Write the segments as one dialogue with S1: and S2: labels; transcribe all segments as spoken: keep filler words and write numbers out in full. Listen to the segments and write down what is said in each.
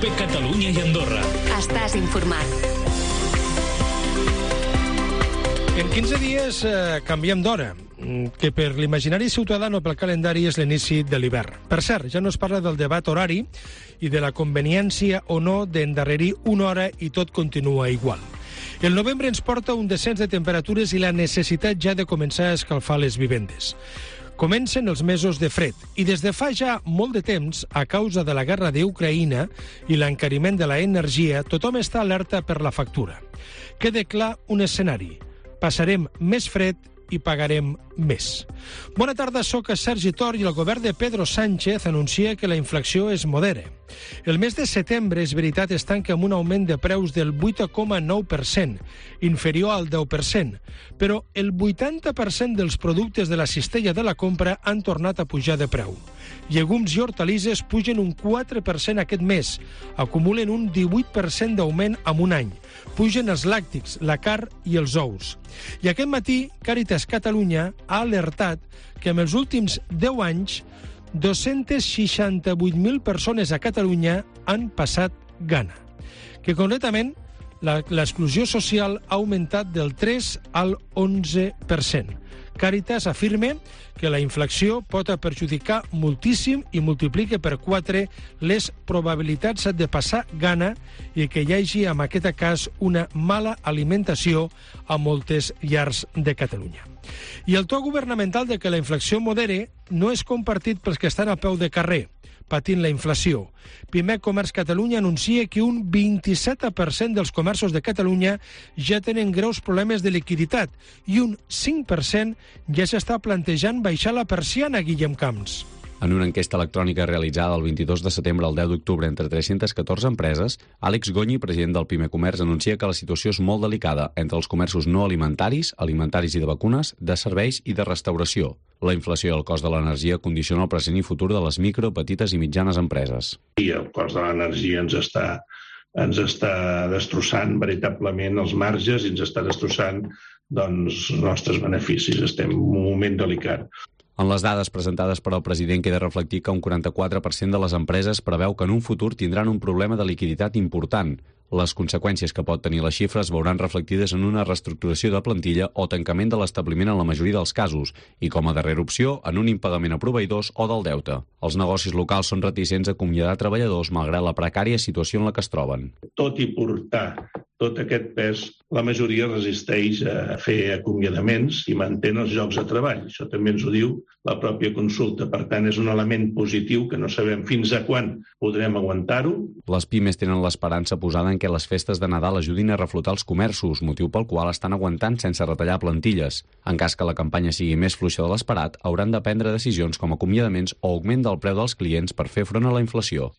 S1: COPE Catalunya i Andorra.
S2: Estàs informat.
S3: En quinze dies eh, canviem d'hora, que per l'imaginari ciutadà o pel calendari és l'inici de l'hivern. Per cert, ja no es parla del debat horari i de la conveniència o no d'endarrerir una hora i tot continua igual. El novembre ens porta un descens de temperatures i la necessitat ja de començar a escalfar les vivendes. Comencen els mesos de fred i des de fa ja molt de temps, a causa de la guerra d'Ucraïna i l'encariment de l'energia, tothom està alerta per la factura. Queda clar un escenari. Passarem més fred i pagarem més. Bona tarda, soc Sergi Tor i el govern de Pedro Sánchez anuncia que la inflació es modera. El mes de setembre, és veritat, es tanca amb un augment de preus del vuit coma nou per cent, inferior al deu per cent, però el vuitanta per cent dels productes de la cistella de la compra han tornat a pujar de preu. Llegums i hortalisses pugen un quatre per cent aquest mes, acumulen un divuit per cent d'augment en un any. Pugen els làctics, la carn i els ous. I aquest matí, Càritas Catalunya ha alertat que en els últims deu anys dos-centes seixanta-vuit mil persones a Catalunya han passat gana. Que concretament l'exclusió social ha augmentat del tres al onze per cent. Càritas afirma que la inflació pot perjudicar moltíssim i multiplica per quatre les probabilitats de passar gana i que hi hagi, en aquest cas, una mala alimentació a moltes llars de Catalunya. I el to governamental de que la inflació modere no és compartit pels que estan a peu de carrer, patint la inflació. Pimec Comerç Catalunya anuncia que un vint-i-set per cent dels comerços de Catalunya ja tenen greus problemes de liquiditat i un cinc per cent ja s'està plantejant baixar la persiana, Guillem Camps.
S4: En una enquesta electrònica realitzada el vint-i-dos de setembre al deu d'octubre entre tres-centes catorze empreses, Àlex Gonyi, president del Pime Comerç, anuncia que la situació és molt delicada entre els comerços no alimentaris, alimentaris i de vacunes, de serveis i de restauració. La inflació i el cost de l'energia condiciona el present i futur de les micro, petites i mitjanes empreses.
S5: I el cost de l'energia ens està, ens està destrossant veritablement els marges i ens està destrossant doncs, els nostres beneficis. Estem en un moment delicat.
S4: En les dades presentades per al president queda reflectir que un quaranta-quatre per cent de les empreses preveu que en un futur tindran un problema de liquiditat important. Les conseqüències que pot tenir les xifres veuran reflectides en una reestructuració de plantilla o tancament de l'establiment en la majoria dels casos i, com a darrera opció, en un impagament a proveïdors o del deute. Els negocis locals són reticents a acomiadar treballadors malgrat la precària situació en la que es troben.
S5: Tot i portar tot aquest pes, la majoria resisteix a fer acomiadaments i mantén els llocs de treball. Això també ens ho diu la pròpia consulta. Per tant, és un element positiu que no sabem fins a quan podrem aguantar-ho.
S4: Les pimes tenen l'esperança posada en que les festes de Nadal ajudin a reflotar els comerços, motiu pel qual estan aguantant sense retallar plantilles. En cas que la campanya sigui més fluixa de l'esperat, hauran de prendre decisions com acomiadaments o augment del preu dels clients per fer front a la inflació.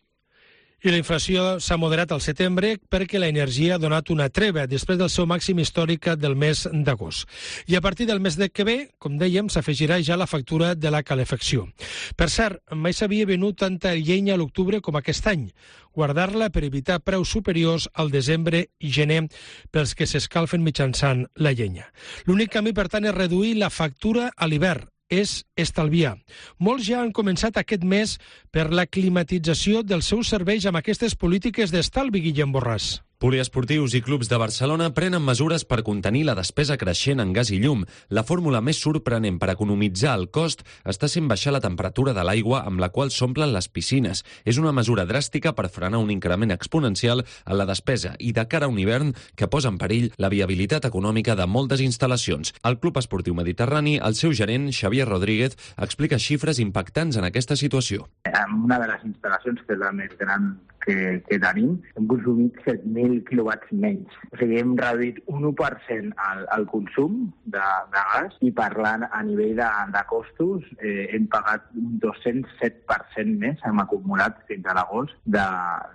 S3: I la inflació s'ha moderat al setembre perquè l'energia ha donat una treva després del seu màxim històric del mes d'agost. I a partir del mes de que ve, com dèiem, s'afegirà ja la factura de la calefacció. Per cert, mai s'havia venut tanta llenya a l'octubre com aquest any. Guardar-la per evitar preus superiors al desembre i gener pels que s'escalfen mitjançant la llenya. L'únic camí, per tant, és reduir la factura a l'hivern. És estalviar. Molts ja han començat aquest mes per la climatització dels seus serveis amb aquestes polítiques d'estalvi, Guillem Borràs.
S6: Poliesportius i clubs de Barcelona prenen mesures per contenir la despesa creixent en gas i llum. La fórmula més sorprenent per economitzar el cost està sent baixar la temperatura de l'aigua amb la qual s'omplen les piscines. És una mesura dràstica per frenar un increment exponencial en la despesa i de cara a un hivern que posa en perill la viabilitat econòmica de moltes instal·lacions. El Club Esportiu Mediterrani, el seu gerent, Xavier Rodríguez, explica xifres impactants en aquesta situació.
S7: En una de les instal·lacions, que és la més gran que, que tenim, hem consumit set mil quilowatts menys. O sigui, hem reduït un u per cent el, el consum de, de gas i parlant a nivell de, de costos eh, hem pagat un dos-cents set per cent més, hem acumulat fins a l'agost de,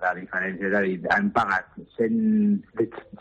S7: de diferència. És a dir, hem pagat cent,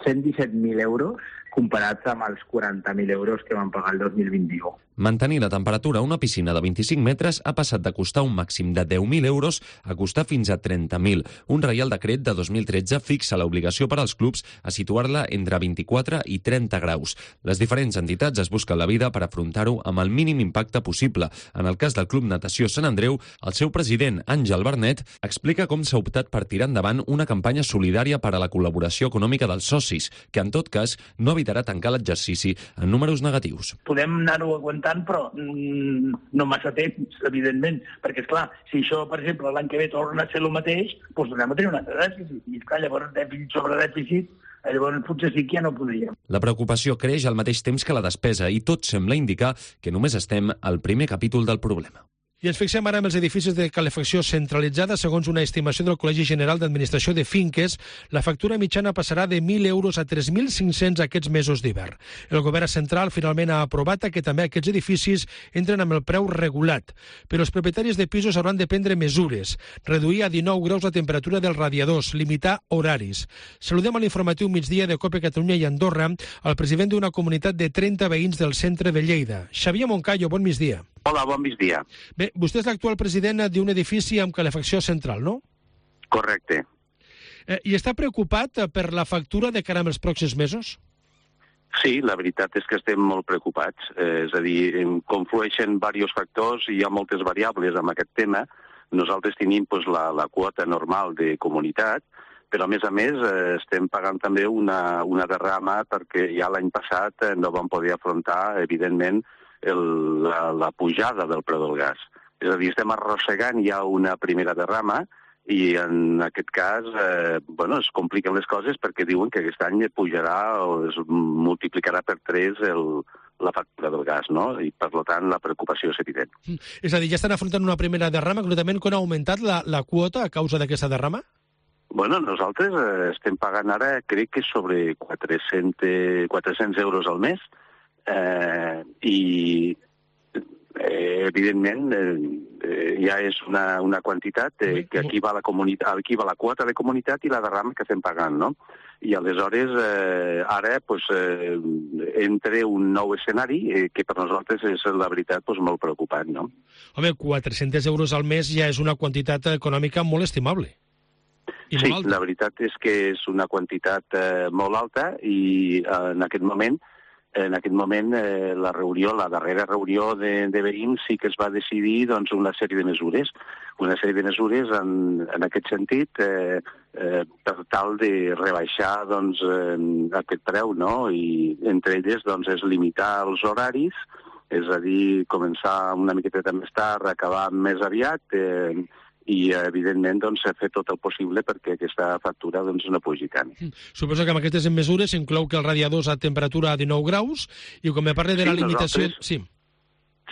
S7: cent disset mil euros comparats amb els quaranta mil euros que van pagar el dos mil vint-i-u.
S6: Mantenir la temperatura a una piscina de vint-i-cinc metres ha passat de costar un màxim de deu mil euros a costar fins a trenta mil. Un Reial Decret de dos mil tretze fixa l'obligació per als clubs a situar-la entre vint-i-quatre i trenta graus. Les diferents entitats es busquen la vida per afrontar-ho amb el mínim impacte possible. En el cas del Club Natació Sant Andreu, el seu president, Àngel Bernet, explica com s'ha optat per tirar endavant una campanya solidària per a la col·laboració econòmica dels socis, que en tot cas no evitarà tancar l'exercici en números negatius.
S1: Podem anar-ho aguantant, però mm, no massa temps, evidentment, perquè, esclar, si això, per exemple, l'any que ve torna a ser el mateix, doncs tornem a tenir un altre dèficit. I, esclar, llavors, dèficit sobre dèficit, llavors potser sí que ja no podríem.
S6: La preocupació creix al mateix temps que la despesa i tot sembla indicar que només estem al primer capítol del problema.
S3: I ens fixem ara en els edificis de calefacció centralitzada. Segons una estimació del Col·legi General d'Administració de Finques, la factura mitjana passarà de mil euros a tres mil cinc-cents aquests mesos d'hivern. El govern central finalment ha aprovat que també aquests edificis entren amb el preu regulat. Però els propietaris de pisos hauran de prendre mesures, reduir a dinou graus la temperatura dels radiadors, limitar horaris. Saludem a l'informatiu migdia de COPE Catalunya i Andorra el president d'una comunitat de trenta veïns del centre de Lleida. Xavier Moncayo, bon migdia.
S2: Hola, bon migdia.
S3: Bé, vostè és l'actual president d'un edifici amb calefacció central, no?
S2: Correcte.
S3: Eh, I està preocupat per la factura de cara als pròxims mesos?
S2: Sí, la veritat és que estem molt preocupats. Eh, és a dir, conflueixen diversos factors i hi ha moltes variables amb aquest tema. Nosaltres tenim pues, la, la quota normal de comunitat, però a més a més eh, estem pagant també una, una derrama perquè ja l'any passat eh, no vam poder afrontar, evidentment, El, la, la pujada del preu del gas. És a dir, estem arrossegant ja una primera derrama i en aquest cas eh, bueno, es compliquen les coses perquè diuen que aquest any pujarà o es multiplicarà per tres el, la factura del gas, no? I per tant la preocupació és evident.
S3: És a dir, ja estan afrontant una primera derrama, concretament quan ha augmentat la, la quota a causa d'aquesta derrama?
S2: Bueno, nosaltres eh, estem pagant ara, crec que sobre quatre-cents euros al mes, Eh, i eh, evidentment eh, ja és una, una quantitat eh, que aquí va, la comunitat, aquí va la quota de comunitat i la derrama que estem pagant, no? I aleshores eh, ara pues, eh, entra un nou escenari eh, que per nosaltres és la veritat pues, molt preocupant, no?
S3: Home, quatre-cents euros al mes ja és una quantitat econòmica molt estimable. I
S2: sí,
S3: molt alta.
S2: La veritat és que és una quantitat eh, molt alta i eh, en aquest moment En aquest moment, eh, la reunió, la darrera reunió de, de veïns sí que es va decidir doncs, una sèrie de mesures. Una sèrie de mesures en, en aquest sentit eh, eh, per tal de rebaixar doncs, eh, aquest preu, no? I entre elles doncs, és limitar els horaris, és a dir, començar una miqueta més tard, acabar més aviat, eh, i, evidentment, doncs, fer tot el possible perquè aquesta factura doncs, no pugi tant.
S3: Suposo que amb aquestes mesures inclou que els radiadors a temperatura a dinou graus i quan me parle de la
S2: sí,
S3: limitació...
S2: Nosaltres...
S3: Sí.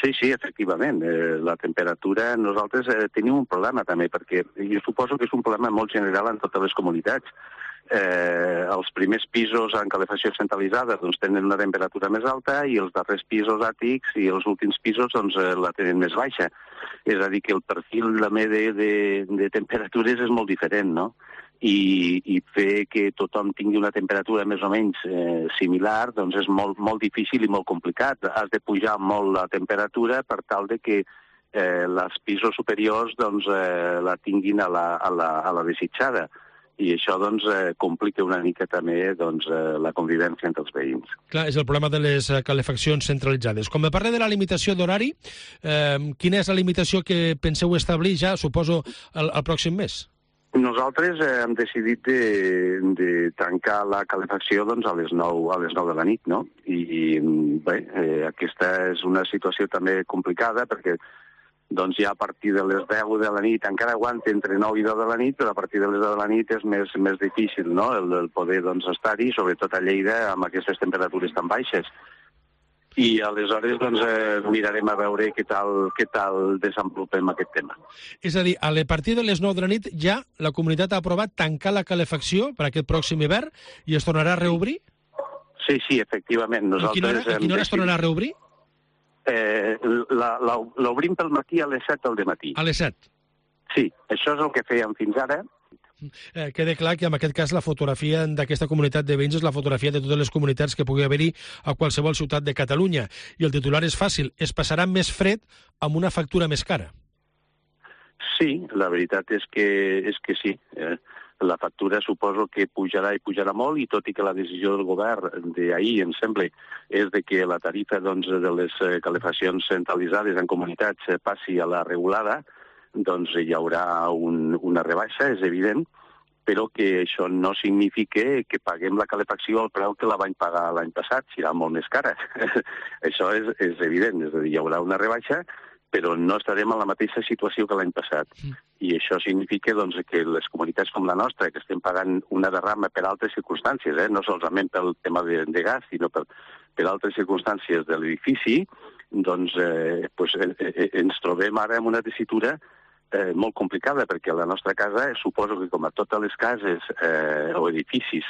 S2: Sí, sí, efectivament. Eh, la temperatura, nosaltres eh, tenim un problema també, perquè jo suposo que és un problema molt general en totes les comunitats. Eh, els primers pisos en calefacció centralitzada doncs, tenen una temperatura més alta i els darrers pisos àtics i els últims pisos doncs, eh, la tenen més baixa. És a dir, que el perfil també de, de, de temperatures és molt diferent, no? I, i fer que tothom tingui una temperatura més o menys eh, similar doncs és molt, molt difícil i molt complicat. Has de pujar molt la temperatura per tal de que eh, els pisos superiors doncs, eh, la tinguin a la, a la, a la desitjada. I això doncs, eh, complica una mica també doncs, eh, la convivència entre els veïns.
S3: Clar, és el problema de les calefaccions centralitzades. Com me parla de la limitació d'horari, eh, quina és la limitació que penseu establir ja, suposo, el, el pròxim mes?
S2: Nosaltres eh, hem decidit de, de tancar la calefacció doncs, a les nou a les nou de la nit, no? I, i bé, eh, aquesta és una situació també complicada perquè doncs ja a partir de les deu de la nit, encara aguanta entre nou i deu de la nit, però a partir de les deu de la nit és més, més difícil, no?, el, el poder doncs, estar-hi, sobretot a Lleida, amb aquestes temperatures tan baixes. I aleshores doncs, eh, mirarem a veure què tal, què tal desenvolupem aquest tema.
S3: És a dir, a partir de les nou de la nit ja la comunitat ha aprovat tancar la calefacció per aquest pròxim hivern i es tornarà a reobrir?
S2: Sí, sí, efectivament. Nosaltres
S3: a quina hora, a quina hora es tornarà a reobrir?
S2: Eh, l'obrim pel matí a les set del dematí.
S3: A les set?
S2: Sí, això és el que fèiem fins ara.
S3: Eh, queda clar que en aquest cas la fotografia d'aquesta comunitat de veïns és la fotografia de totes les comunitats que pugui haver-hi a qualsevol ciutat de Catalunya. I el titular és fàcil, es passarà més fred amb una factura més cara.
S2: Sí, la veritat és que, és que sí. Eh, la factura suposo que pujarà i pujarà molt, i tot i que la decisió del govern d'ahir, em sembla, és de que la tarifa doncs, de les calefaccions centralitzades en comunitats passi a la regulada, doncs hi haurà un, una rebaixa, és evident, però que això no significa que paguem la calefacció al preu que la vam pagar l'any passat, serà molt més cara. Això és, és evident, és a dir, hi haurà una rebaixa, però no estarem en la mateixa situació que l'any passat. I això significa doncs, que les comunitats com la nostra, que estem pagant una derrama per altres circumstàncies, eh? no solament pel tema de, de gas, sinó per, per altres circumstàncies de l'edifici, doncs eh, pues, eh, eh, ens trobem ara en una tessitura eh, molt complicada, perquè la nostra casa, suposo que com a totes les cases eh, o edificis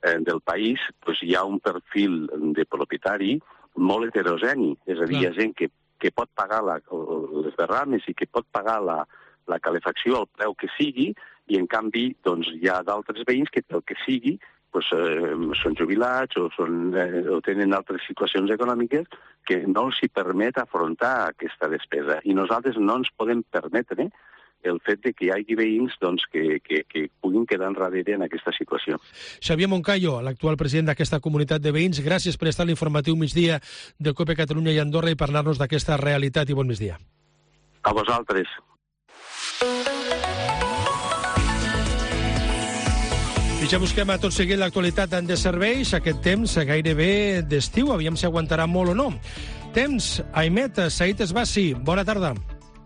S2: eh, del país, pues, hi ha un perfil de propietari molt heterogeni, és a dir, hi ha gent que que pot pagar la, les derrames i que pot pagar la, la calefacció al preu que sigui, i en canvi doncs, hi ha d'altres veïns que el que sigui doncs, eh, són jubilats o, són, eh, o tenen altres situacions econòmiques que no els hi permet afrontar aquesta despesa. I nosaltres no ens podem permetre eh, el fet de que hi hagi veïns doncs, que, que, que puguin quedar enrere en aquesta situació.
S3: Xavier Moncayo, l'actual president d'aquesta comunitat de veïns, gràcies per estar a l'informatiu migdia del COPE Catalunya i Andorra i parlar-nos d'aquesta realitat, i bon migdia.
S2: A vosaltres.
S3: I ja busquem a tot seguit l'actualitat de serveis, aquest temps gairebé d'estiu, aviam si aguantarà molt o no. Temps, Aimet, Saïd Esbassi, bona tarda.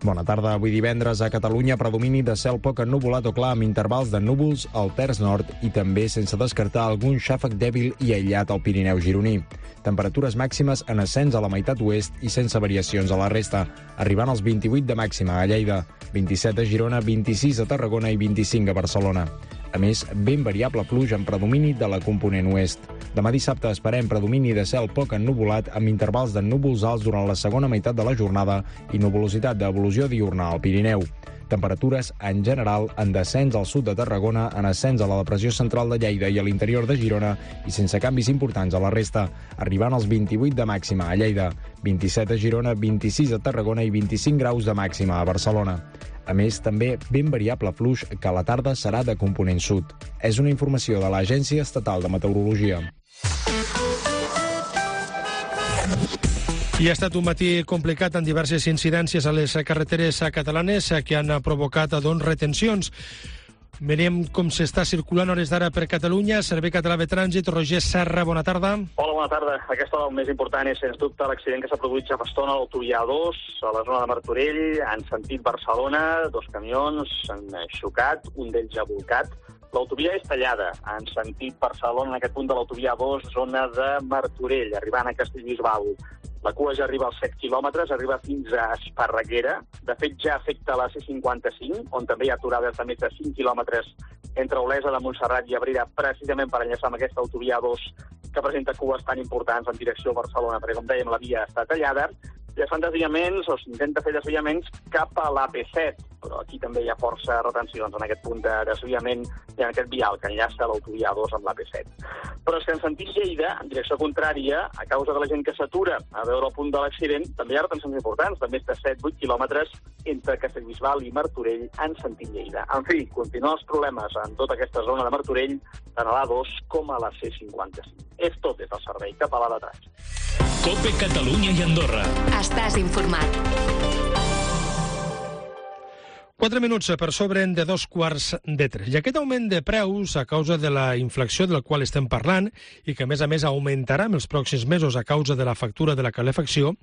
S8: Bona tarda. Avui divendres a Catalunya predomini de cel poc ennuvolat o clar amb intervals de núvols al terç nord i també sense descartar algun xàfec dèbil i aïllat al Pirineu gironí. Temperatures màximes en ascens a la meitat oest i sense variacions a la resta, arribant als vint-i-vuit de màxima a Lleida, vint-i-set a Girona, vint-i-sis a Tarragona i vint-i-cinc a Barcelona. A més, ben variable pluja en predomini de la component oest. Demà dissabte esperem predomini de cel poc ennuvolat amb intervals de núvols alts durant la segona meitat de la jornada i nuvolositat d'evolució diurna al Pirineu. Temperatures, en general, en descens al sud de Tarragona, en ascens a la depressió central de Lleida i a l'interior de Girona i sense canvis importants a la resta, arribant als vint-i-vuit de màxima a Lleida, vint-i-set a Girona, vint-i-sis a Tarragona i vint-i-cinc graus de màxima a Barcelona. A més, també ben variable fluix que a la tarda serà de component sud. És una informació de l'Agència Estatal de Meteorologia.
S3: I ha estat un matí complicat amb diverses incidències a les carreteres catalanes que han provocat doncs, retencions. Mirem com s'està circulant a hores d'ara per Catalunya. Servei Català de Trànsit, Roger Serra, bona tarda.
S9: Hola, bona tarda. Aquesta hora el més important és, sens dubte, l'accident que s'ha produït ja fa estona a l'autovia A dos, a la zona de Martorell, en sentit Barcelona. Dos camions s'han xocat, un d'ells ha volcat. L'autovia és tallada en sentit Barcelona, en aquest punt de l'autovia A dos, zona de Martorell, arribant a Castellbisbal. La cua ja arriba als set quilòmetres, arriba fins a Esparreguera. De fet, ja afecta la C cinquanta-cinc, on també hi ha aturades de més de cinc quilòmetres entre Olesa de Montserrat i Abrera, precisament per enllaçar amb aquesta autovia A dos, que presenta cues tan importants en direcció a Barcelona, perquè, com dèiem, la via està tallada. I es fan desviaments, o s'intenta fer desviaments, cap a l'A P set, però aquí també hi ha força retencions en aquest punt de desviament i en aquest vial que enllaça l'autovia A dos amb l'A P set. Però és que en sentit Lleida, en direcció contrària, a causa de la gent que s'atura a veure el punt de l'accident, també hi ha retencions importants, de més de set vuit quilòmetres entre Castellbisbal i Martorell en sentit Lleida. En fi, continuen els problemes en tota aquesta zona de Martorell, tant a l'A dos com a la C cinquanta-cinc. És tot des del servei català de trànsit.
S10: COPE Catalunya i Andorra.
S11: Estàs informat.
S3: Quatre minuts per sobre de dos quarts de tres. I aquest augment de preus a causa de la inflació del qual estem parlant i que, a més a més, augmentarà en els pròxims mesos a causa de la factura de la calefacció,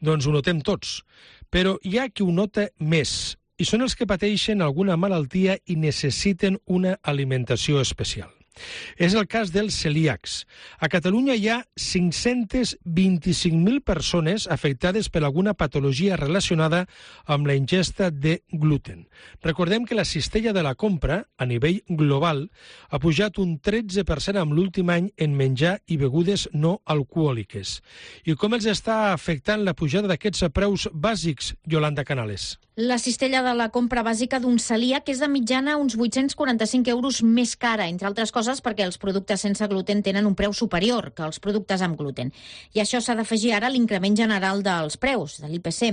S3: doncs ho notem tots. Però hi ha qui ho nota més i són els que pateixen alguna malaltia i necessiten una alimentació especial. És el cas dels celíacs. A Catalunya hi ha cinc-centes vint-i-cinc mil persones afectades per alguna patologia relacionada amb la ingesta de gluten. Recordem que la cistella de la compra, a nivell global, ha pujat un tretze per cent en l'últim any en menjar i begudes no alcohòliques. I com els està afectant la pujada d'aquests preus bàsics, Yolanda Canales?
S11: La cistella de la compra bàsica d'un celíac és de mitjana uns vuit-cents quaranta-cinc euros més cara, entre altres coses perquè els productes sense gluten tenen un preu superior que els productes amb gluten. I això s'ha d'afegir ara a l'increment general dels preus, de l'I P C.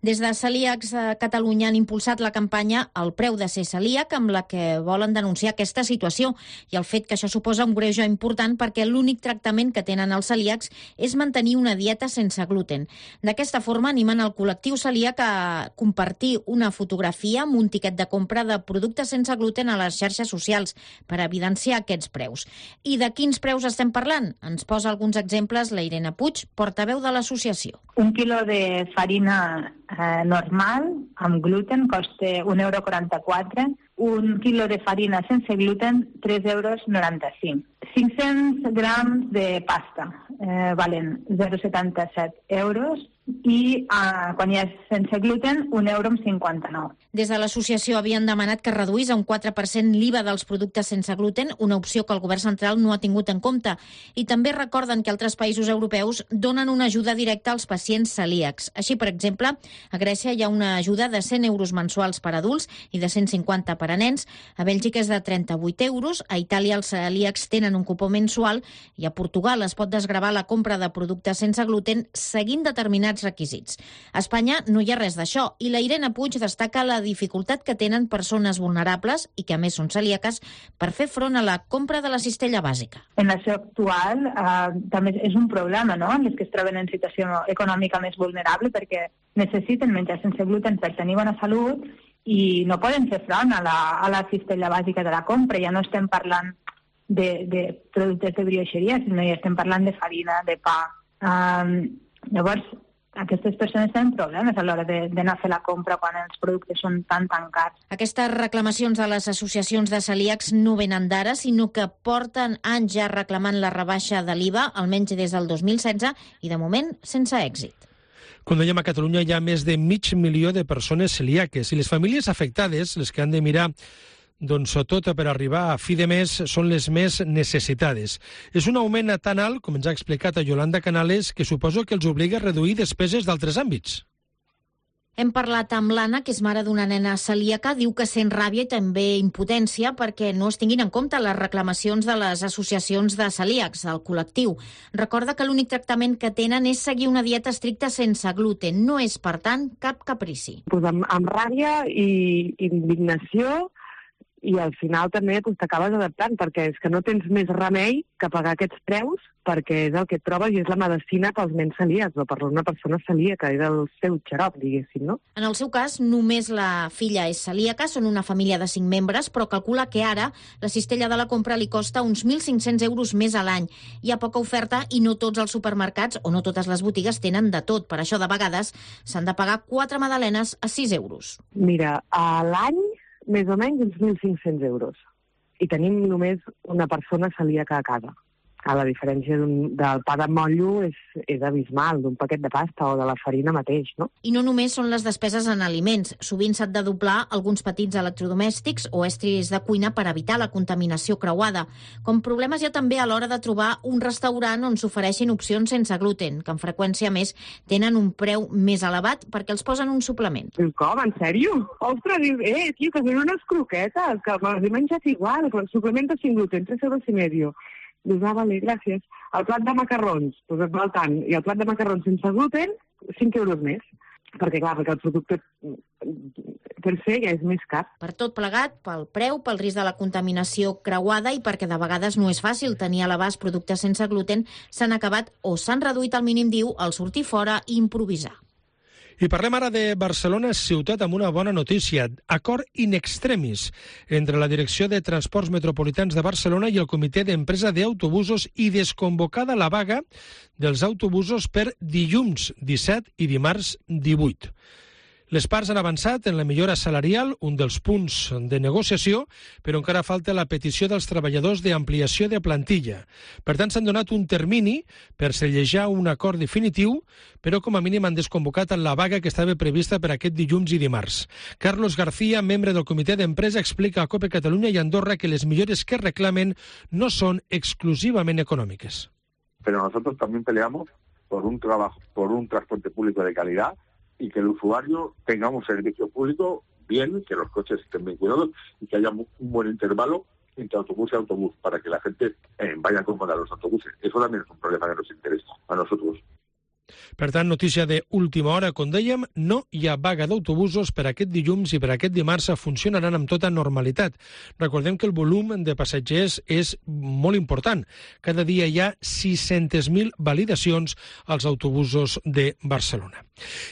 S11: Des de Celíacs a Catalunya han impulsat la campanya El preu de ser celíac, amb la que volen denunciar aquesta situació i el fet que això suposa un greuge important perquè l'únic tractament que tenen els celíacs és mantenir una dieta sense gluten. D'aquesta forma animen el col·lectiu celíac a compartir una fotografia amb un tiquet de compra de productes sense gluten a les xarxes socials per evidenciar aquests preus. I de quins preus estem parlant? Ens posa alguns exemples la Irene Puig, portaveu de l'associació.
S12: Un quilo de farina eh, normal amb gluten costa un euro quaranta-quatre, un quilo de farina sense gluten tres euros noranta-cinc. cinc-cents grams de pasta eh, valen zero coma setanta-set euros i eh, quan hi ha sense gluten un euro amb cinquanta-nou.
S11: Des de l'associació havien demanat que reduís a un quatre per cent l'I V A dels productes sense gluten, una opció que el govern central no ha tingut en compte. I també recorden que altres països europeus donen una ajuda directa als pacients celíacs. Així, per exemple, a Grècia hi ha una ajuda de cent euros mensuals per adults i de cent cinquanta per a nens. A Bèlgica és de trenta-vuit euros. A Itàlia els celíacs tenen un cupó mensual i a Portugal es pot desgravar la compra de productes sense gluten seguint determinats requisits. A Espanya no hi ha res d'això i la Irene Puig destaca la dificultat que tenen persones vulnerables i que a més són celíaques per fer front a la compra de la cistella bàsica.
S12: En la situació actual eh, també és un problema, no?, les que es troben en situació econòmica més vulnerable perquè necessiten menjar sense gluten per tenir bona salut i no poden fer front a la, a la cistella bàsica de la compra. Ja no estem parlant de, de productes de brioixeria, sinó ja estem parlant de farina, de pa. Um, llavors, aquestes persones tenen problemes a l'hora d'anar a fer la compra quan els productes són tan, tan cars.
S11: Aquestes reclamacions de les associacions de celíacs no venen d'ara, sinó que porten anys ja reclamant la rebaixa de l'I V A, almenys des del dos mil setze, i de moment sense èxit.
S3: Com dèiem, a Catalunya hi ha més de mig milió de persones celíaques i les famílies afectades, les que han de mirar doncs tot per arribar a fi de mes, són les més necessitades. És un augment tan alt, com ens ha explicat a Yolanda Canales, que suposo que els obliga a reduir despeses d'altres àmbits.
S11: Hem parlat amb l'Anna, que és mare d'una nena celíaca, diu que sent ràbia i també impotència perquè no es tinguin en compte les reclamacions de les associacions de celíacs, del col·lectiu. Recorda que l'únic tractament que tenen és seguir una dieta estricta sense gluten. No és, per tant, cap caprici.
S13: Pues amb, amb ràbia i indignació, i al final també pues, t'acabes adaptant, perquè és que no tens més remei que pagar aquests preus, perquè és el que et trobes i és la medicina pels nens celíacs, o per una persona celíaca, és el seu xarop, diguéssim, no?
S11: En el seu cas, només la filla és celíaca, són una família de cinc membres, però calcula que ara la cistella de la compra li costa uns mil cinc-cents euros més a l'any. Hi ha poca oferta i no tots els supermercats o no totes les botigues tenen de tot. Per això, de vegades, s'han de pagar quatre magdalenes a sis euros.
S13: Mira, a l'any més o menys uns mil cinc-cents euros. I tenim només una persona celíaca a casa. A la diferència del pa de motllo és, és abismal, d'un paquet de pasta o de la farina mateix, no?
S11: I no només són les despeses en aliments. Sovint s'han de doblar alguns petits electrodomèstics o estris de cuina per evitar la contaminació creuada. Com problemes hi ha també a l'hora de trobar un restaurant on s'ofereixin opcions sense gluten, que en freqüència més tenen un preu més elevat perquè els posen un suplement.
S13: Com? En sèrio? Ostres, dius, eh, tio, que són unes croquetes, que me les he menjat igual, però el suplement de sin gluten, tres euros i medio. Dius, ah, vale, gràcies. El plat de macarrons, doncs et val tant. I el plat de macarrons sense gluten, cinc euros més. Perquè, clar, perquè el producte per ser ja és més car.
S11: Per tot plegat, pel preu, pel risc de la contaminació creuada i perquè de vegades no és fàcil tenir a l'abast productes sense gluten, s'han acabat o s'han reduït al mínim diu el sortir fora i improvisar.
S3: I parlem ara de Barcelona, ciutat amb una bona notícia. Acord in extremis entre la Direcció de Transports Metropolitans de Barcelona i el Comitè d'Empresa d'Autobusos i desconvocada la vaga dels autobusos per dilluns disset i dimarts divuit. Les parts han avançat en la millora salarial, un dels punts de negociació, però encara falta la petició dels treballadors d'ampliació de plantilla. Per tant, s'han donat un termini per sellejar un acord definitiu, però com a mínim han desconvocat la vaga que estava prevista per aquest dilluns i dimarts. Carlos García, membre del comitè d'empresa, explica a COPE Catalunya i Andorra que les millores que reclamen no son exclusivamente económicas.
S14: Pero nosotros también peleamos por un trabajo, por un transporte público de calidad y que el usuario tenga un servicio público bien, que los coches estén bien cuidados y que haya un buen intervalo entre autobús y autobús para que la gente eh, vaya cómoda a los autobuses. Eso también es un problema que nos interesa a nosotros.
S3: Per tant, notícia d'última hora, com dèiem, no hi ha vaga d'autobusos per aquest dilluns i per aquest dimarts funcionaran amb tota normalitat. Recordem que el volum de passatgers és molt important. Cada dia hi ha sis-centes mil validacions als autobusos de Barcelona.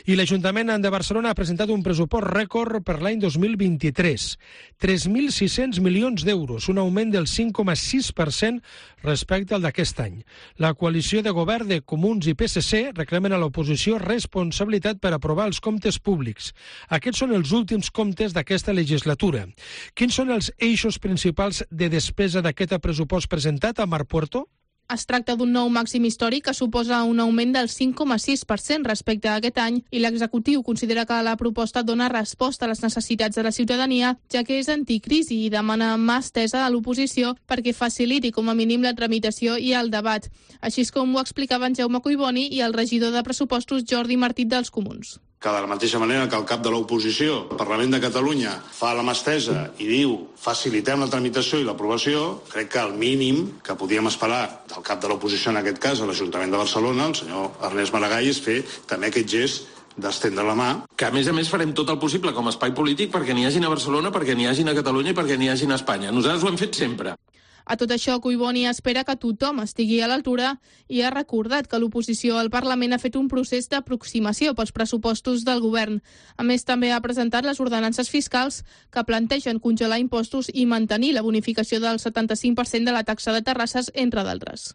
S3: I l'Ajuntament de Barcelona ha presentat un pressupost rècord per l'any dos mil vint-i-tres. tres mil sis-cents milions d'euros, un augment del cinc coma sis per cent respecte al d'aquest any. La coalició de govern de Comuns i P S C reclamen a l'oposició responsabilitat per aprovar els comptes públics. Aquests són els últims comptes d'aquesta legislatura. Quins són els eixos principals de despesa d'aquest pressupost presentat a Mar Puerto?
S15: Es tracta d'un nou màxim històric que suposa un augment del cinc coma sis per cent respecte a aquest any i l'executiu considera que la proposta dona resposta a les necessitats de la ciutadania, ja que és anticrisi i demana mà estesa a l'oposició perquè faciliti com a mínim la tramitació i el debat. Així és com ho explicaven Jaume Collboni i el regidor de pressupostos Jordi Martí dels Comuns.
S16: Que de la mateixa manera que el cap de l'oposició, el Parlament de Catalunya, fa la mà estesa i diu facilitem la tramitació i l'aprovació, crec que el mínim que podíem esperar del cap de l'oposició, en aquest cas, a l'Ajuntament de Barcelona, el senyor Ernest Maragall, és fer també aquest gest d'estendre la mà.
S17: Que a més a més farem tot el possible com a espai polític perquè n'hi hagin a Barcelona, perquè n'hi hagin a Catalunya i perquè n'hi hagin a Espanya. Nosaltres ho hem fet sempre.
S15: A tot això, Collboni espera que tothom estigui a l'altura i ha recordat que l'oposició al Parlament ha fet un procés d'aproximació pels pressupostos del govern. A més, també ha presentat les ordenances fiscals que plantegen congelar impostos i mantenir la bonificació del setanta-cinc per cent de la taxa de terrasses, entre d'altres.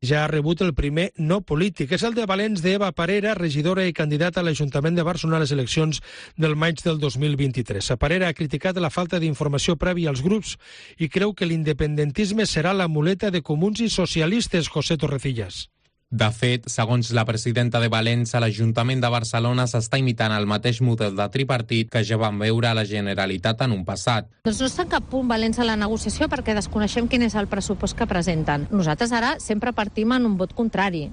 S3: Ja ha rebut el primer no polític. És el de Valens d'Eva Parera, regidora i candidata a l'Ajuntament de Barcelona a les eleccions del maig del dos mil vint-i-tres. A Parera ha criticat la falta d'informació prèvia als grups i creu que l'independentisme serà la muleta de comuns i socialistes, José Torrecillas.
S18: De fet, segons la presidenta de Valens, a l'Ajuntament de Barcelona s'està imitant el mateix model de tripartit que ja vam veure a la Generalitat en un passat.
S11: Doncs no està en cap punt valents a la negociació perquè desconeixem quin és el pressupost que presenten. Nosaltres ara sempre partim en un vot contrari.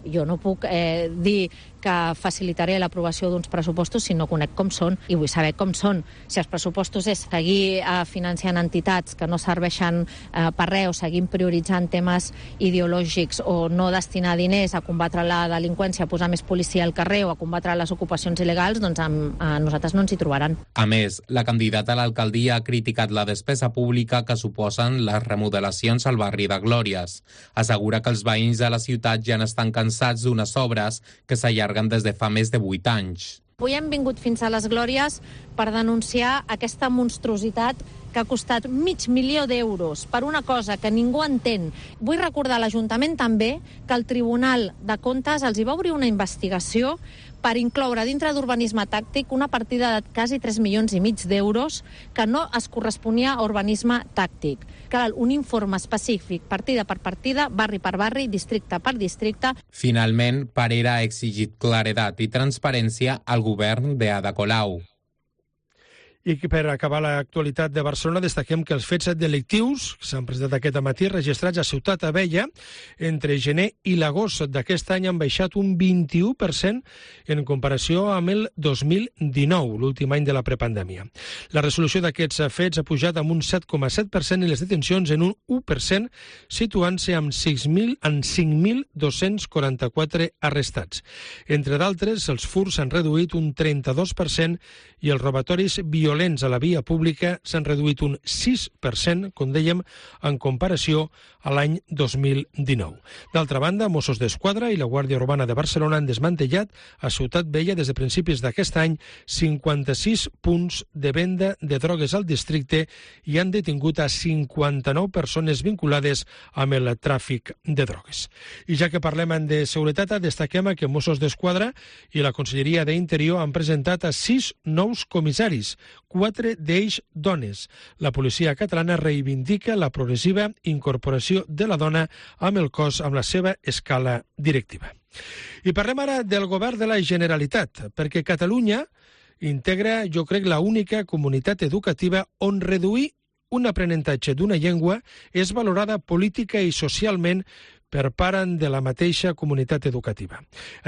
S11: Jo no puc eh, dir que facilitaré l'aprovació d'uns pressupostos si no conec com són i vull saber com són. Si els pressupostos és seguir eh, financiant entitats que no serveixen eh, per res o seguim prioritzant temes ideològics o no destinar diners a combatre la delinqüència, a posar més policia al carrer o a combatre les ocupacions il·legals, doncs amb, a nosaltres no ens hi trobaran.
S18: A més, la candidata a l'alcaldia ha criticat la despesa pública que suposen les remodelacions al barri de Glòries. Assegura que els veïns de la ciutat ja n'estan cansats d'unes obres que s'allarguen des de fa més de vuit anys.
S11: Avui hem vingut fins a les Glòries per denunciar aquesta monstruositat que ha costat mig milió d'euros per una cosa que ningú entén. Vull recordar a l'Ajuntament també que el Tribunal de Comptes els hi va obrir una investigació per incloure dintre d'urbanisme tàctic una partida de quasi tres milions i mig d'euros que no es corresponia a urbanisme tàctic. Cal un informe específic, partida per partida, barri per barri, districte per districte.
S18: Finalment, Parera ha exigit claredat i transparència al govern d'Ada Colau.
S3: I per acabar l'actualitat de Barcelona destaquem que els fets delictius que s'han presentat aquest matí registrats a Ciutat Abella entre gener i l'agost d'aquest any han baixat un vint-i-u per cent en comparació amb el dos mil dinou, l'últim any de la prepandèmia. La resolució d'aquests fets ha pujat amb un set coma set per cent i les detencions en un u per cent, situant-se amb cinc mil dos-cents quaranta-quatre arrestats. Entre d'altres, els furts han reduït un trenta-dos per cent i els robatoris violents violents a la via pública s'han reduït un sis per cent, com dèiem, en comparació a l'any dos mil dinou. D'altra banda, Mossos d'Esquadra i la Guàrdia Urbana de Barcelona han desmantellat a Ciutat Vella des de principis d'aquest any cinquanta-sis punts de venda de drogues al districte i han detingut a cinquanta-nou persones vinculades amb el tràfic de drogues. I ja que parlem de seguretat, destaquem que Mossos d'Esquadra i la Conselleria d'Interior han presentat a sis nous comissaris, quatre d'ells dones. La policia catalana reivindica la progressiva incorporació de la dona amb el cos amb la seva escala directiva. I parlem ara del govern de la Generalitat, perquè Catalunya integra, jo crec, la única comunitat educativa on reduir un aprenentatge d'una llengua és valorada política i socialment per part de la mateixa comunitat educativa.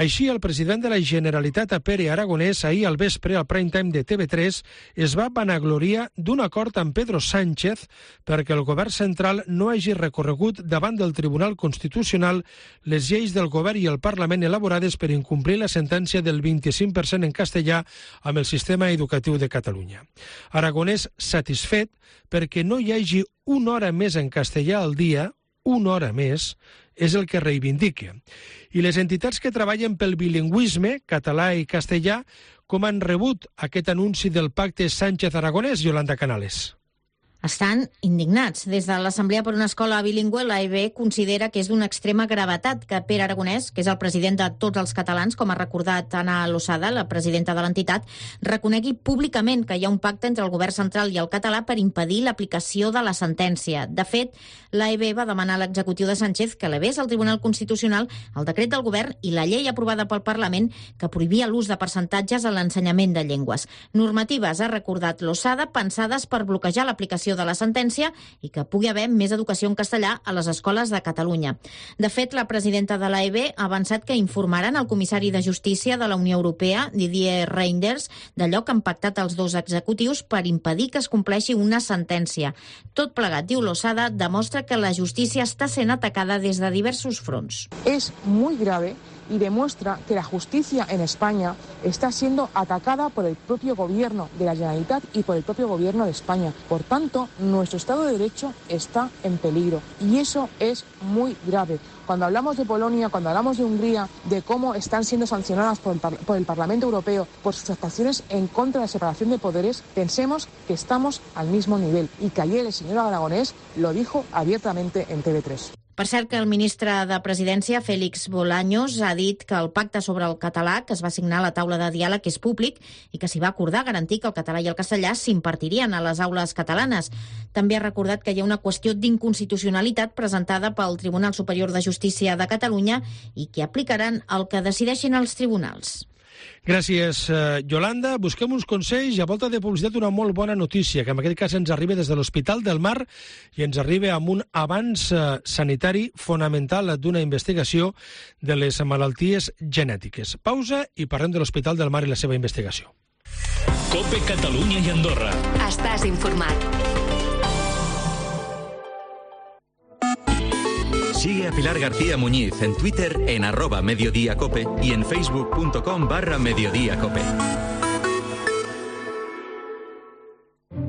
S3: Així, el president de la Generalitat, Pere Aragonès, ahir al vespre, al prime time de T V tres, es va vanagloriar d'un acord amb Pedro Sánchez perquè el govern central no hagi recorregut davant del Tribunal Constitucional les lleis del govern i el Parlament elaborades per incomplir la sentència del vint-i-cinc per cent en castellà amb el sistema educatiu de Catalunya. Aragonès satisfet perquè no hi hagi una hora més en castellà al dia, una hora més, és el que reivindica. I les entitats que treballen pel bilingüisme, català i castellà, com han rebut aquest anunci del pacte Sánchez-Aragonès, Yolanda Canales?
S11: Estan indignats. Des de l'Assemblea per una Escola Bilingüe, l'A E B considera que és d'una extrema gravetat que Pere Aragonès, que és el president de tots els catalans, com ha recordat Ana Losada, la presidenta de l'entitat, reconegui públicament que hi ha un pacte entre el govern central i el català per impedir l'aplicació de la sentència. De fet, l'A E B va demanar a l'executiu de Sánchez que elevés al Tribunal Constitucional el decret del govern i la llei aprovada pel Parlament que prohibia l'ús de percentatges a l'ensenyament de llengües. Normatives, ha recordat Losada, pensades per bloquejar l'aplicació de la sentència i que pugui haver més educació en castellà a les escoles de Catalunya. De fet, la presidenta de l'A E B ha avançat que informaran el comissari de Justícia de la Unió Europea, Didier Reynders, d'allò que han pactat els dos executius per impedir que es compleixi una sentència. Tot plegat, diu Losada, demostra que la justícia està sent atacada des de diversos fronts.
S19: És molt grave y demuestra que la justicia en España está siendo atacada por el propio gobierno de la Generalitat y por el propio gobierno de España. Por tanto, nuestro Estado de Derecho está en peligro y eso es muy grave. Cuando hablamos de Polonia, cuando hablamos de Hungría, de cómo están siendo sancionadas por el, par- por el Parlamento Europeo por sus actuaciones en contra de la separación de poderes, pensemos que estamos al mismo nivel y que ayer el señor Aragonès lo dijo abiertamente en T V tres.
S11: Per cert, que el ministre de Presidència, Félix Bolaños, ha dit que el pacte sobre el català que es va signar a la taula de diàleg és públic i que s'hi va acordar garantir que el català i el castellà s'impartirien a les aules catalanes. També ha recordat que hi ha una qüestió d'inconstitucionalitat presentada pel Tribunal Superior de Justícia de Catalunya i que aplicaran el que decideixin els tribunals.
S3: Gràcies, Yolanda. Busquem uns consells i a volta de publicitat una molt bona notícia, que en aquest cas ens arriba des de l'Hospital del Mar i ens arriba amb un avanç sanitari fonamental d'una investigació de les malalties genètiques. Pausa i parlem de l'Hospital del Mar i la seva investigació.
S10: COPE Catalunya i Andorra.
S20: Estàs informat.
S21: Sigue a Pilar García Muñiz en Twitter en arroba mediodíacope y en facebook.com barra mediodíacope.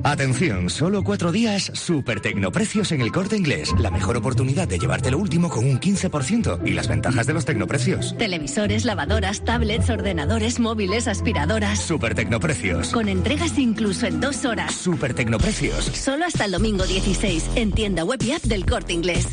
S22: Atención, solo cuatro días, super tecnoprecios en el Corte Inglés. La mejor oportunidad de llevarte lo último con un quince por ciento y las ventajas de los tecnoprecios.
S20: Televisores, lavadoras, tablets, ordenadores, móviles, aspiradoras.
S22: Super tecnoprecios.
S20: Con entregas incluso en dos horas.
S22: Super tecnoprecios.
S20: Solo hasta el domingo dieciséis, en tienda web y app del Corte Inglés.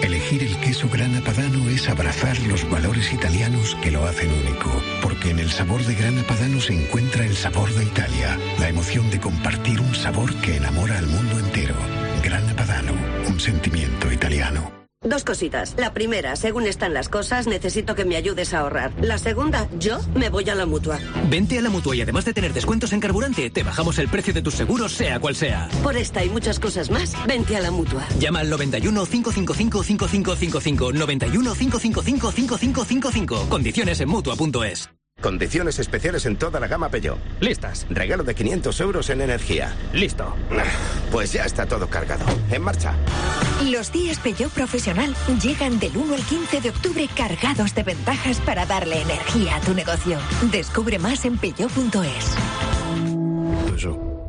S23: Elegir el queso Grana Padano es abrazar los valores italianos que lo hacen único, porque en el sabor de Grana Padano se encuentra el sabor de Italia, la emoción de compartir un sabor que enamora al mundo entero. Grana Padano, un sentimiento italiano.
S24: Dos cositas. La primera, según están las cosas, necesito que me ayudes a ahorrar. La segunda, yo me voy a la Mutua.
S25: Vente a la Mutua y además de tener descuentos en carburante, te bajamos el precio de tus seguros, sea cual sea.
S24: Por esta y muchas cosas más, vente a la Mutua.
S25: Llama al noventa y uno, cinco cinco cinco, cinco cinco cinco cinco, noventa y uno, cinco cinco cinco, cinco cinco cinco cinco. Condiciones en Mutua punto es.
S26: Condiciones especiales en toda la gama Peugeot.
S25: Listas.
S26: Regalo de quinientos euros en energía.
S25: Listo.
S26: Pues ya está todo cargado. En marcha.
S27: Los días Peugeot Profesional llegan del uno al quince de octubre cargados de ventajas para darle energía a tu negocio. Descubre más en Peugeot punto es.
S26: Peugeot.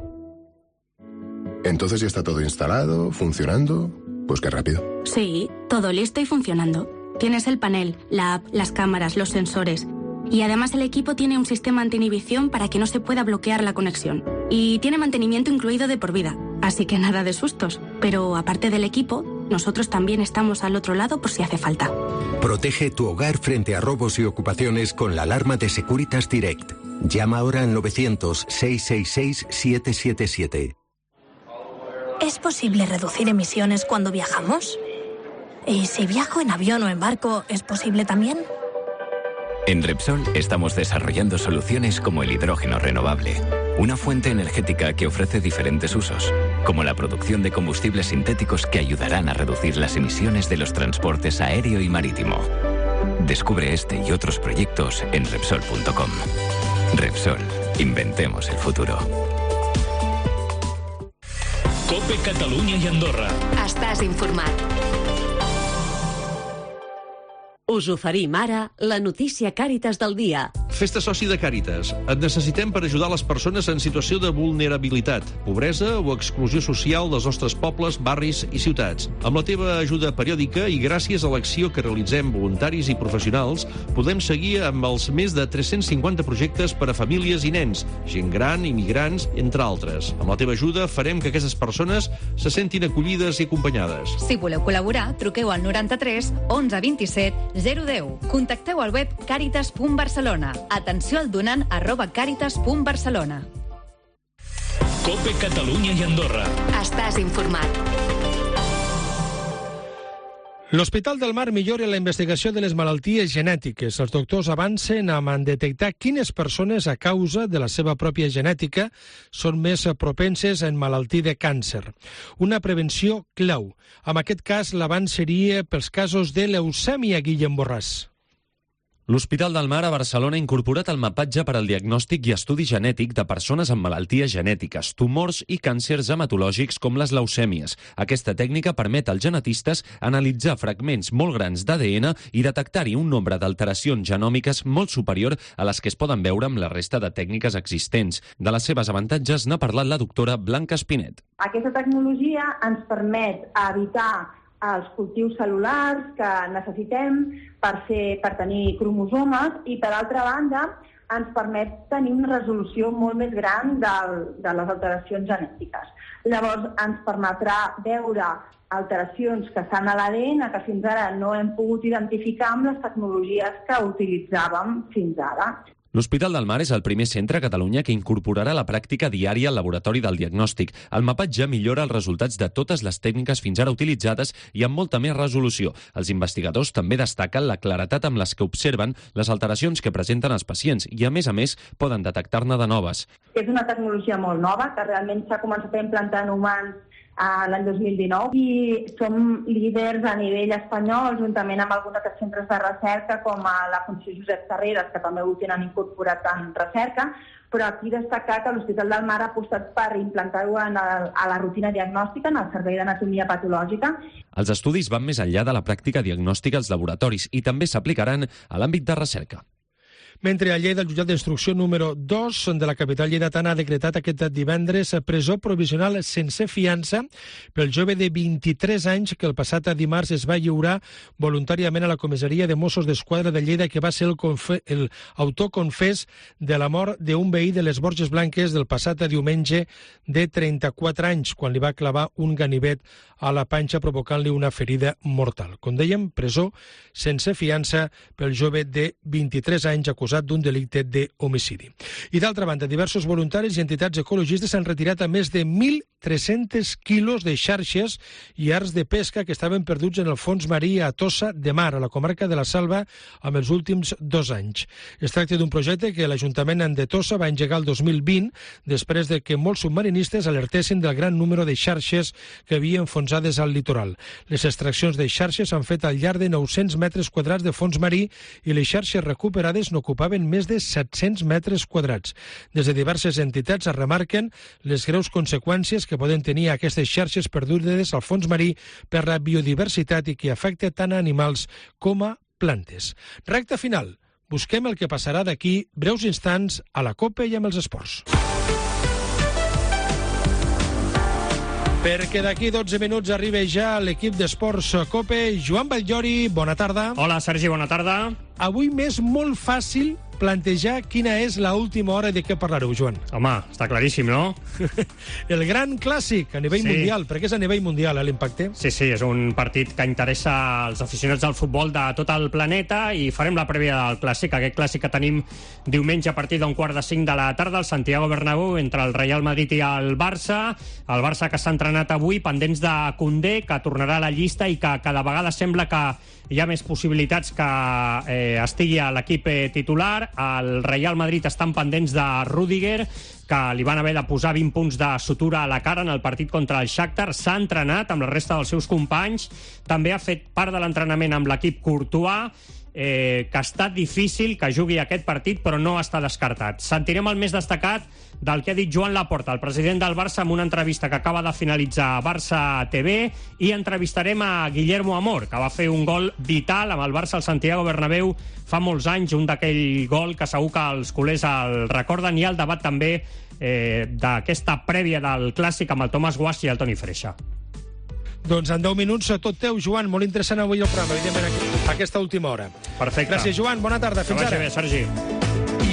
S1: Entonces ya está todo instalado, funcionando. Pues qué rápido.
S2: Sí, todo listo y funcionando. Tienes el panel, la app, las cámaras, los sensores. Y además el equipo tiene un sistema anti-inhibición para que no se pueda bloquear la conexión. Y tiene mantenimiento incluido de por vida. Así que nada de sustos. Pero aparte del equipo, nosotros también estamos al otro lado por si hace falta.
S4: Protege tu hogar frente a robos y ocupaciones con la alarma de Securitas Direct. Llama ahora al novecientos, seiscientos sesenta y seis, setecientos setenta y siete.
S5: ¿Es posible reducir emisiones cuando viajamos? ¿Y si viajo en avión o en barco, es posible también?
S6: En Repsol estamos desarrollando soluciones como el hidrógeno renovable, una fuente energética que ofrece diferentes usos, como la producción de combustibles sintéticos que ayudarán a reducir las emisiones de los transportes aéreo y marítimo. Descubre este y otros proyectos en Repsol punto com. Repsol, inventemos el futuro.
S10: COPE Catalunya i Andorra.
S27: Estàs informat. Us oferim ara la notícia Càritas del dia.
S7: Fes-te soci de Càritas. Et necessitem per ajudar les persones en situació de vulnerabilitat, pobresa o exclusió social dels nostres pobles, barris i ciutats. Amb la teva ajuda periòdica i gràcies a l'acció que realitzem voluntaris i professionals, podem seguir amb els més de tres-cents cinquanta projectes per a famílies i nens, gent gran, immigrants, entre altres. Amb la teva ajuda farem que aquestes persones se sentin acollides i acompanyades.
S8: Si voleu col·laborar, truqueu al noranta-tres onze vint-i-set zero deu. Contacteu al web càritas punt barcelona. Atenció al donant arroba càritas punt barcelona.
S10: COPE Catalunya i Andorra.
S27: Estàs informat.
S3: L'Hospital del Mar millora la investigació de les malalties genètiques. Els doctors avancen a detectar quines persones, a causa de la seva pròpia genètica, són més propenses a emmalaltir de càncer. Una prevenció clau. En aquest cas, l'avanç seria pels casos de leucèmia, Guillem Borràs.
S28: L'Hospital del Mar a Barcelona ha incorporat el mapatge per al diagnòstic i estudi genètic de persones amb malalties genètiques, tumors i càncers hematològics com les leucèmies. Aquesta tècnica permet als genetistes analitzar fragments molt grans d'A D N i detectar-hi un nombre d'alteracions genòmiques molt superior a les que es poden veure amb la resta de tècniques existents. De les seves avantatges n'ha parlat la doctora Blanca Espinet.
S12: Aquesta tecnologia ens permet evitar els cultius cel·lulars que necessitem per, fer, per tenir cromosomes i, per altra banda, ens permet tenir una resolució molt més gran del, de les alteracions genètiques. Llavors, ens permetrà veure alteracions que estan a l'A D N que fins ara no hem pogut identificar amb les tecnologies que utilitzàvem fins ara.
S28: L'Hospital del Mar és el primer centre a Catalunya que incorporarà la pràctica diària al laboratori del diagnòstic. El mapatge millora els resultats de totes les tècniques fins ara utilitzades i amb molta més resolució. Els investigadors també destaquen la claretat amb les que observen les alteracions que presenten els pacients i, a més a més, poden detectar-ne de noves.
S12: És una tecnologia molt nova que realment s'ha començat a implantar en humans l'any dos mil dinou i som líders a nivell espanyol juntament amb alguns altres centres de recerca com a la Fundació Josep Tarradellas, que també ho tenen incorporat en recerca, però aquí destacar que l'Hospital del Mar ha apostat per implantar-ho a la rutina diagnòstica, en el servei d'anatomia patològica.
S28: Els estudis van més enllà de la pràctica diagnòstica als laboratoris i també s'aplicaran a l'àmbit de recerca.
S3: Mentre la llei del jutjat d'instrucció número dos de la capital lleidatana ha decretat aquest divendres presó provisional sense fiança pel jove de vint-i-tres anys que el passat dimarts es va lliurar voluntàriament a la comissaria de Mossos d'Esquadra de Lleida, que va ser el, confe el autor confés de la mort d'un veí de les Borges Blanques del passat diumenge de trenta-quatre anys, quan li va clavar un ganivet a la panxa provocant-li una ferida mortal. Com dèiem, presó sense fiança pel jove de vint-i-tres anys acusat d'un delicte d'homicidi. I d'altra banda, diversos voluntaris i entitats ecologistes han retirat a més de mil tres-cents quilos de xarxes i arts de pesca que estaven perduts en el fons marí a Tossa de Mar, a la comarca de la Salva, amb els últims dos anys. Es tracta d'un projecte que l'Ajuntament de Tossa va engegar el dos mil vint, després de que molts submarinistes alertessin del gran número de xarxes que havia enfonsades al litoral. Les extraccions de xarxes s'han fet al llarg de nou-cents metres quadrats de fons marí i les xarxes recuperades n'ocupaven més de set-cents metres quadrats. Des de diverses entitats es remarquen les greus conseqüències que poden tenir aquestes xarxes perdudes al fons marí per la biodiversitat i que afecta tant a animals com a plantes. Recta final. Busquem el que passarà d'aquí breus instants a la COPE i amb els esports. Perquè d'aquí dotze minuts arriba ja l'equip d'Esports COPE. Joan Batllori, bona tarda.
S9: Hola, Sergi, bona tarda.
S3: Avui m'és molt fàcil plantejar quina és l'última hora de què parlareu, Joan.
S9: Home, està claríssim, no?
S3: El gran clàssic a nivell
S9: Sí.
S3: mundial, perquè és a nivell mundial, eh, l'impacte.
S9: Sí, sí, és un partit que interessa als aficionats del futbol de tot el planeta i farem la prèvia del clàssic, aquest clàssic que tenim diumenge a partir d'un quart de cinc de la tarda al Santiago Bernabéu entre el Real Madrid i el Barça. El Barça que s'ha entrenat avui, pendents de Koundé, que tornarà a la llista i que cada vegada sembla que hi ha més possibilitats que eh, estigui a l'equip eh, titular. El Real Madrid estan pendents de Rüdiger, que li van haver de posar vint punts de sutura a la cara en el partit contra el Shakhtar. S'ha entrenat amb la resta dels seus companys. També ha fet part de l'entrenament amb l'equip Courtois, eh, que ha estat difícil que jugui aquest partit, però no està descartat. Sentirem el més destacat del que ha dit Joan Laporta, el president del Barça, en una entrevista que acaba de finalitzar a Barça T V, i entrevistarem a Guillermo Amor, que va fer un gol vital amb el Barça al Santiago Bernabéu fa molts anys, un d'aquell gol que segur que els culers el recorden, i el debat també eh, d'aquesta prèvia del clàssic amb el Tomàs Guasch i el Toni Freixa.
S3: Doncs en deu minuts tot teu, Joan. Molt interessant avui el programa, evidentment, a aquesta última hora.
S9: Perfecte.
S3: Gràcies, Joan. Bona tarda. Fins
S9: que
S3: ara.
S9: vagi bé, Sergi.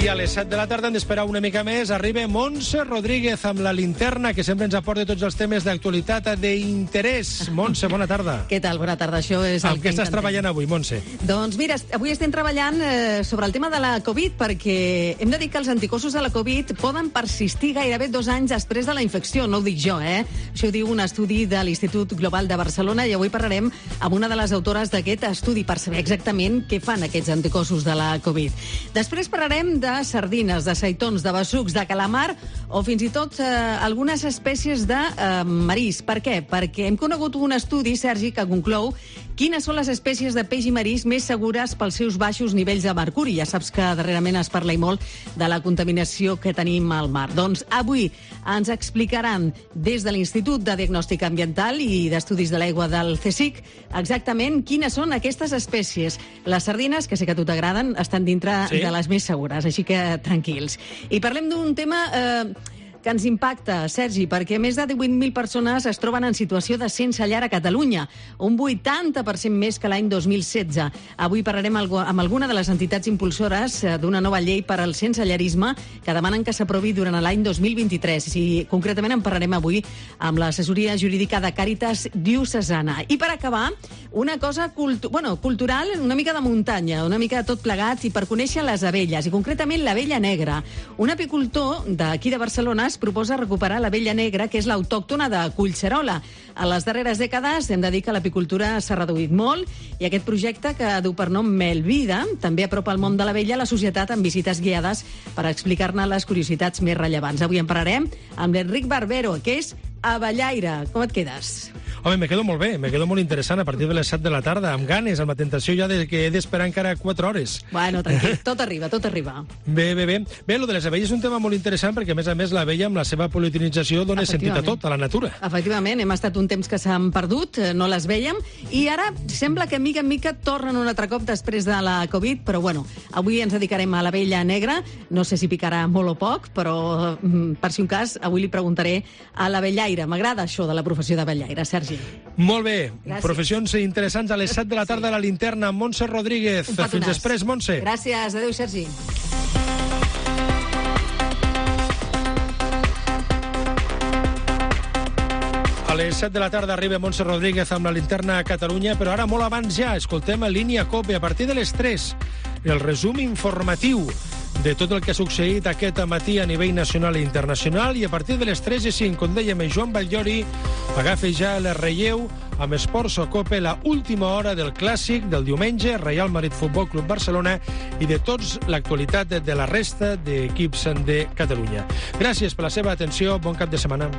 S3: I a les set de la tarda hem d'esperar una mica més. Arriba Montse Rodríguez amb la linterna, que sempre ens aporta tots els temes d'actualitat d'interès. Montse, bona tarda.
S13: Què tal? Bona tarda. Això és el
S3: amb què estàs treballant avui, Montse?
S13: Doncs mira, avui estem treballant eh, sobre el tema de la Covid, perquè hem de dir que els anticossos de la Covid poden persistir gairebé dos anys després de la infecció. No ho dic jo, eh? Això ho diu un estudi de l'Institut Global de Barcelona, i avui parlarem amb una de les autores d'aquest estudi per saber exactament què fan aquests anticossos de la Covid. Després parlarem de sardines, de seitons, de bessucs, de calamar o fins i tot eh, algunes espècies de eh, marís. Per què? Perquè hem conegut un estudi, Sergi, que conclou quines són les espècies de peix i marís més segures pels seus baixos nivells de mercuri. Ja saps que darrerament es parla i molt de la contaminació que tenim al mar. Doncs avui ens explicaran des de l'Institut de Diagnòstic Ambiental i d'Estudis de l'Aigua del CSIC exactament quines són aquestes espècies. Les sardines, que sé que a tu t'agraden, estan dintre Sí. de les més segures, així que tranquils. I parlem d'un tema eh, que ens impacta, Sergi, perquè més de divuit mil persones es troben en situació de sense llar a Catalunya, un vuitanta per cent més que l'any dos mil setze. Avui parlarem amb alguna de les entitats impulsores d'una nova llei per al sensellarisme que demanen que s'aprovi durant l'any dos mil vint-i-tres. I concretament en parlarem avui amb l'assessoria jurídica de Càritas Diocesana. I per acabar, una cosa cultu bueno, cultural, una mica de muntanya, una mica de tot plegat, i per conèixer les abelles, i concretament l'abella negra. Un apicultor d'aquí de Barcelona es proposa recuperar l'abella negra, que és l'autòctona de Collserola. A les darreres dècades hem de dir que l'apicultura s'ha reduït molt, i aquest projecte, que du per nom Melvida, també apropa el món de l'abella a la societat amb visites guiades per explicar-ne les curiositats més rellevants. Avui en parlarem amb l'Enric Barbero, que és abellaire. Com et quedes?
S3: Home, me quedo molt bé, me quedo molt interessant a partir de les set de la tarda, amb ganes, amb la tentació ja de que he d'esperar encara quatre hores.
S13: Bueno, tranquil, tot arriba, tot arriba.
S3: Bé, bé, bé. Bé, lo de les abelles és un tema molt interessant perquè, a més a més, l'abella amb la seva politinització dona sentit a tot, a la natura.
S13: Efectivament, hem estat un temps que s'han perdut, no les vèiem, i ara sembla que mica en mica tornen un altre cop després de la Covid, però bueno, avui ens dedicarem a l'abella negra, no sé si picarà molt o poc, però per si un cas, avui li preguntaré a l'abellaire. M'agrada això de la professió d'abellaire, Sergi.
S3: Molt bé.
S13: Gràcies.
S3: Professions interessants a les set de la tarda a la linterna amb Montse Rodríguez. Fins després, Montse.
S13: Gràcies. Adéu, Sergi.
S3: A les set de la tarda arriba Montse Rodríguez amb la linterna a Catalunya, però ara molt abans ja escoltem a Línia COPE a partir de les tres. El resum informatiu de tot el que ha succeït aquest matí a nivell nacional i internacional, i a partir de les tres i cinc, com dèiem, Joan Batllori agafa ja el relleu amb Esports COPE, la última hora del clàssic del diumenge, Real Madrid Futbol Club Barcelona, i de tots l'actualitat de la resta d'equips de Catalunya. Gràcies per la seva atenció, bon cap de setmana.